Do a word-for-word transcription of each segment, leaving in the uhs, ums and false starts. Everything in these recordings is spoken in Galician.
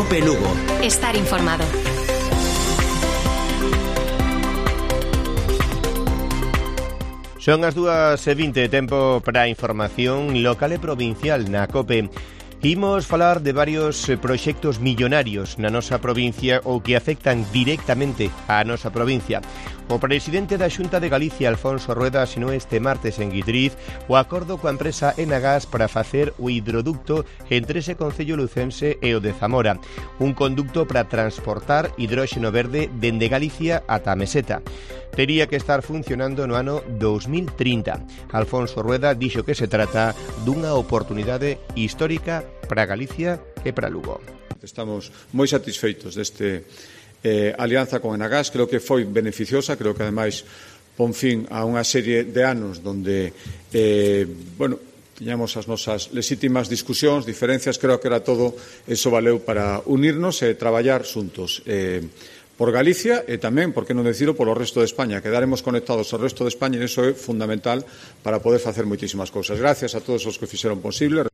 Cope Lugo. Estar informado. Son as dúas e vinte, tempo para a información local e provincial na Cope. Imos falar de varios proxectos millonarios na nosa provincia ou que afectan directamente á nosa provincia. O presidente da Xunta de Galicia, Alfonso Rueda, asinou este martes en Guitriz o acordo coa empresa Enagas para facer o hidroducto entre ese concello lucense e o de Zamora, un conducto para transportar hidróxeno verde dende Galicia ata a Meseta. Tería que estar funcionando no ano dos mil trinta. Alfonso Rueda dixo que se trata dunha oportunidade histórica para Galicia e para Lugo. Estamos moi satisfeitos deste eh, alianza con Enagas, creo que foi beneficiosa, creo que ademais pon fin a unha serie de anos donde, eh, bueno, tiñamos as nosas legítimas discusións, diferencias, creo que era todo, eso valeu para unirnos e traballar xuntos. Eh, por Galicia e tamén, por que non decirlo, polo resto de España. Quedaremos conectados ao resto de España e iso é fundamental para poder facer moitísimas cousas. Gracias a todos os que fixeron posible.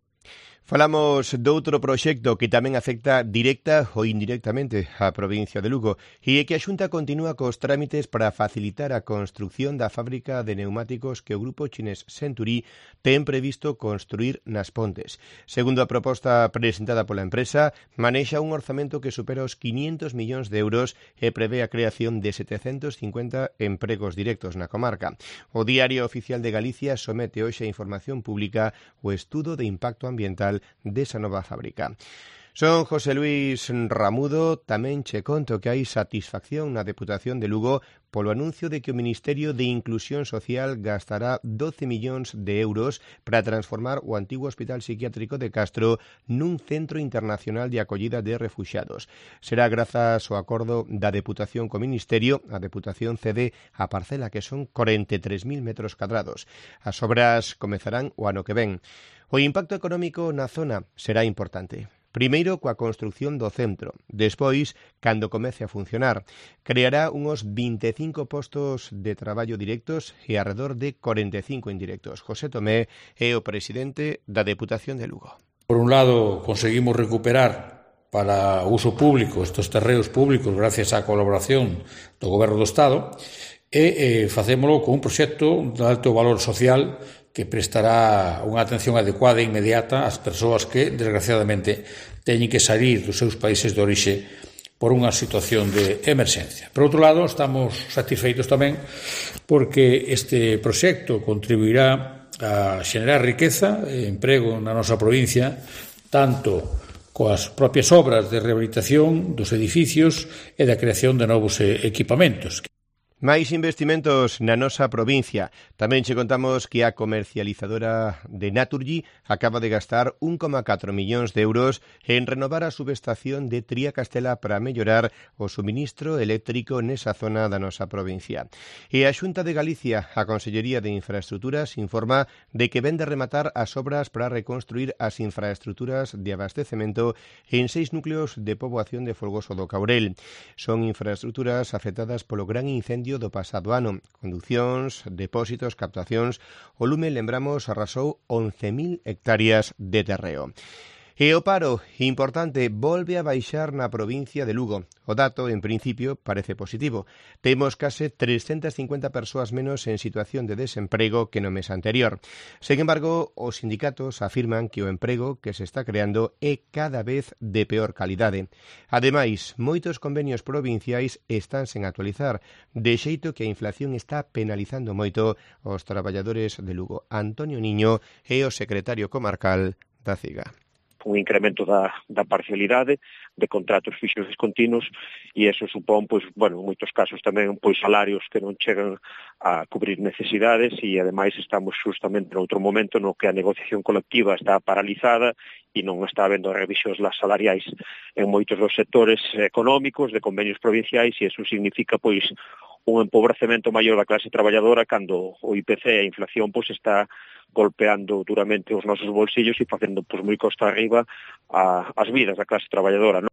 Falamos doutro proxecto que tamén afecta directa ou indirectamente á provincia de Lugo e é que a Xunta continúa cos trámites para facilitar a construción da fábrica de neumáticos que o grupo chinés Century ten previsto construir nas Pontes. Segundo a proposta presentada pola empresa, manexa un orzamento que supera os quinhentos millóns de euros e prevé a creación de setecentos cincuenta empregos directos na comarca. O Diario Oficial de Galicia somete hoxe a información pública o estudo de impacto ambiental desa nova fábrica. Son José Luis Ramudo, tamén che conto que hai satisfacción na Deputación de Lugo polo anuncio de que o Ministerio de Inclusión Social gastará doce millóns de euros para transformar o antigo Hospital Psiquiátrico de Castro nun centro internacional de acollida de refuxiados. Será grazas ao acordo da Deputación co Ministerio, a Deputación cede a parcela que son corenta e tres mil metros cadrados. As obras comezarán o ano que ven. O impacto económico na zona será importante. Primeiro, coa construción do centro. Despois, cando comece a funcionar, creará uns vinte e cinco postos de traballo directos e alrededor de corenta e cinco indirectos. José Tomé é o presidente da Deputación de Lugo. Por un lado, conseguimos recuperar para uso público estes terreos públicos gracias á colaboración do Goberno do Estado e eh, facémolo con un proxecto de alto valor social que prestará unha atención adecuada e inmediata ás persoas que, desgraciadamente, teñen que salir dos seus países de orixe por unha situación de emerxencia. Por outro lado, estamos satisfeitos tamén porque este proxecto contribuirá a xenerar riqueza e emprego na nosa provincia, tanto coas propias obras de rehabilitación dos edificios e da creación de novos equipamentos. Máis investimentos na nosa provincia. Tamén che contamos que a comercializadora de Naturgy acaba de gastar un coma catro millóns de euros en renovar a subestación de Tría Castela para mellorar o suministro eléctrico nesa zona da nosa provincia. E a Xunta de Galicia, a Consellería de Infraestruturas, informa de que vende rematar as obras para reconstruir as infraestruturas de abastecemento en seis núcleos de poboación de Folgoso do Caurel. Son infraestruturas afectadas polo gran incendio do pasado ano. Conducións, depósitos, captacións. O lume, lembramos, arrasou once mil hectáreas de terreo. E o paro, importante, volve a baixar na provincia de Lugo. O dato, en principio, parece positivo. Temos case trescentas cincuenta persoas menos en situación de desemprego que no mes anterior. Sen embargo, os sindicatos afirman que o emprego que se está creando é cada vez de peor calidade. Ademais, moitos convenios provinciais están sen actualizar, de xeito que a inflación está penalizando moito os traballadores de Lugo. Antonio Niño é o secretario comarcal da CIGA. Un incremento da, da parcialidade de contratos fixos discontinuos e eso supón, pois, bueno, en moitos casos tamén, pois, salarios que non chegan a cubrir necesidades e, ademais, estamos justamente noutro momento no que a negociación colectiva está paralizada e non está habendo revisións salariais en moitos dos sectores económicos de convenios provinciais e eso significa, pois, un empobrecemento maior da clase traballadora cando o I P C e a inflación, pois, está golpeando duramente os nosos bolsillos e facendo, pois, moi costa arriba a, as vidas da clase traballadora, non?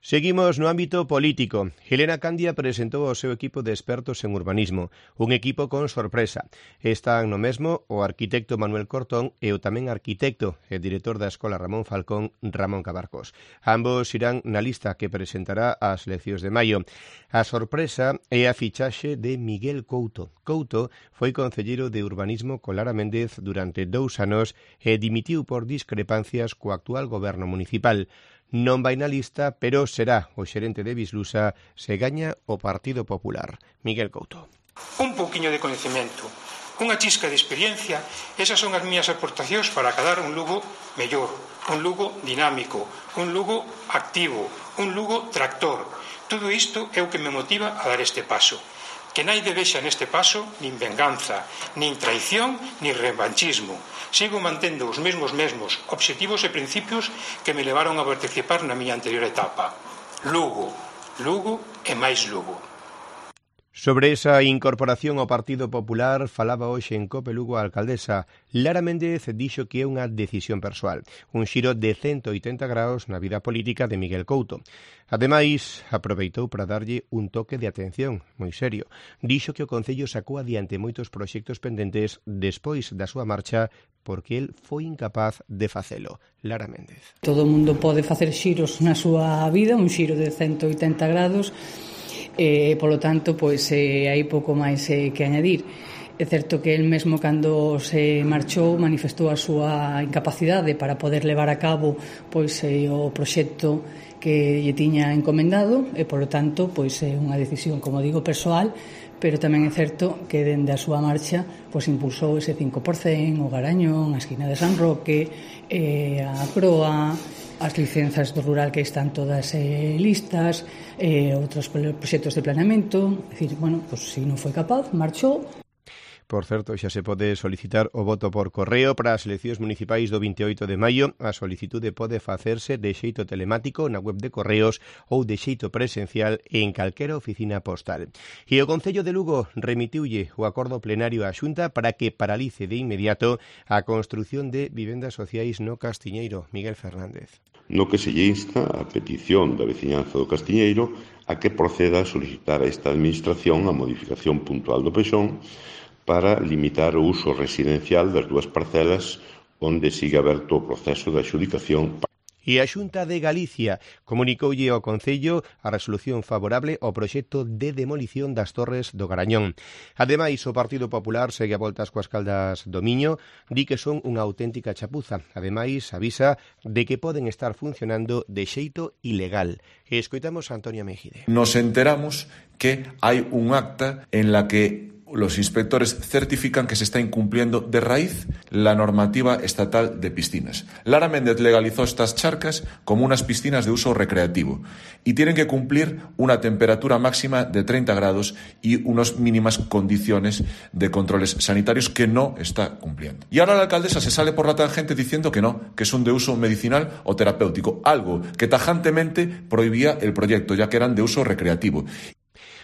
Seguimos no ámbito político. Helena Candia presentou o seu equipo de expertos en urbanismo, un equipo con sorpresa. Están no mesmo o arquitecto Manuel Cortón e o tamén arquitecto e director da Escola Ramón Falcón, Ramón Cabarcos. Ambos irán na lista que presentará ás eleccións de maio. A sorpresa é a fichaxe de Miguel Couto. Couto foi concelleiro de urbanismo con Lara Méndez durante dous anos e dimitiu por discrepancias co actual goberno municipal. Non vai na lista, pero será o xerente de Bislusa se gaña o Partido Popular. Miguel Couto. Un pouquiño de coñecemento, unha chisca de experiencia, esas son as miñas aportacións para acadar un Lugo mellor, un Lugo dinámico, un Lugo activo, un Lugo tractor. Todo isto é o que me motiva a dar este paso. Que naide vexa neste paso nin venganza, nin traición, nin revanchismo. Sigo mantendo os mesmos mesmos obxectivos e principios que me levaron a participar na miña anterior etapa. Lugo, Lugo e máis Lugo. Sobre esa incorporación ao Partido Popular falaba hoxe en Cope Lugo a alcaldesa. Lara Méndez dixo que é unha decisión persoal, un xiro de ciento oitenta graus na vida política de Miguel Couto. Ademais, aproveitou para darlle un toque de atención, moi serio. Dixo que o Concello sacou adiante moitos proxectos pendentes despois da súa marcha porque el foi incapaz de facelo. Lara Méndez. Todo o mundo pode facer xiros na súa vida, un xiro de ciento oitenta grados, e, polo tanto, pois, eh, hai pouco máis eh, que añadir. É certo que el mesmo cando se marchou manifestou a súa incapacidade para poder levar a cabo pois eh, o proxecto que lle tiña encomendado e, polo tanto, pois é unha decisión, como digo, persoal, pero tamén é certo que dende a súa marcha pois impulsou ese cinco por cen, o Garañón, a esquina de San Roque, eh, a Croa, as licenzas do rural que están todas eh, listas, eh, outros proxectos de planeamento. É dicir, bueno, pois se non foi capaz, marchou. Por certo, xa se pode solicitar o voto por correo para as eleccións municipais do vinte e oito de maio. A solicitude pode facerse de xeito telemático na web de Correos ou de xeito presencial en calquera oficina postal. E o Concello de Lugo remitiulle o acordo plenario á Xunta para que paralice de inmediato a construción de vivendas sociais no Castiñeiro. Miguel Fernández. No que se lle insta a petición da veciñanza do Castiñeiro a que proceda a solicitar a esta administración a modificación puntual do pexón para limitar o uso residencial das dúas parcelas onde sigue aberto o proceso de adxudicación. E a Xunta de Galicia comunicoulle ao Concello a resolución favorable ao proxecto de demolición das torres do Garañón. Ademais, o Partido Popular segue a voltas coas caldas do Miño, di que son unha auténtica chapuza. Ademais, avisa de que poden estar funcionando de xeito ilegal. E escoitamos a Antonia Mejide. Nos enteramos que hai un acta en la que los inspectores certifican que se está incumpliendo de raíz la normativa estatal de piscinas. Lara Méndez legalizó estas charcas como unas piscinas de uso recreativo y tienen que cumplir una temperatura máxima de treinta grados y unas mínimas condiciones de controles sanitarios que no está cumpliendo. Y ahora la alcaldesa se sale por la tangente diciendo que no, que son de uso medicinal o terapéutico, algo que tajantemente prohibía el proyecto, ya que eran de uso recreativo.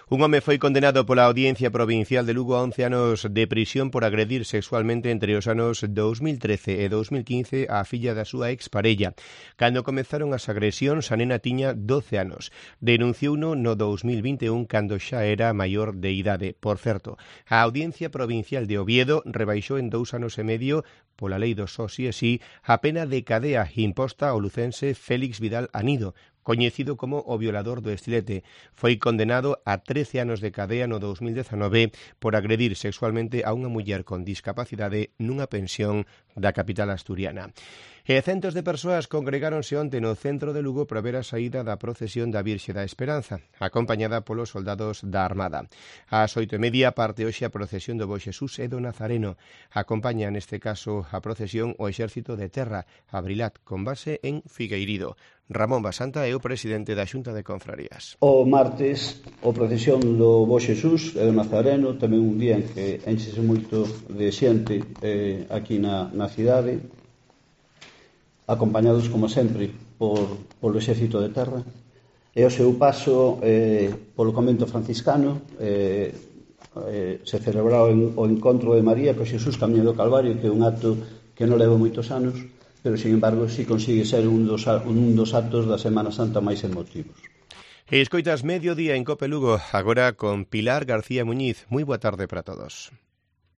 Un home foi condenado pola Audiencia Provincial de Lugo a once anos de prisión por agredir sexualmente entre os anos dous mil trece e dous mil quince á filla da súa exparella. Cando comezaron as agresións, a nena tiña doce anos. Denunciouno no dous mil vinte e un cando xa era maior de idade. Por certo, a Audiencia Provincial de Oviedo rebaixou en dous anos e medio pola lei do só si e si a pena de cadea imposta ao lucense Félix Vidal Anido, coñecido como o violador do Estilete. Foi condenado a trece anos de cadea no dous mil dezanove por agredir sexualmente a unha muller con discapacidade nunha pensión da capital asturiana. E centos de persoas congregáronse onte no centro de Lugo para ver a saída da procesión da Virxe da Esperanza, acompañada polos soldados da Armada. Ás oito e media parte hoxe a procesión do Bo Xesús e do Nazareno. Acompaña neste caso a procesión o Exército de Terra, Abrilat, con base en Figueirido. Ramón Basanta é o presidente da Xunta de Confrarías. O martes, o procesión do Bo Xesús e do Nazareno, tamén un día en que enchese moito de xente eh, aquí na, na cidade, acompañados, como sempre, por, polo Exército de Terra, e o seu paso eh, polo convento franciscano eh, eh, se celebrou en, o encontro de María co Xesús Camiño do Calvario, que é un acto que non leva moitos anos, pero, sin embargo, si consigue ser un dos, un dos actos da Semana Santa máis emotivos. E escoitas Mediodía en Cope Lugo, agora con Pilar García Muñiz. Moi boa tarde para todos.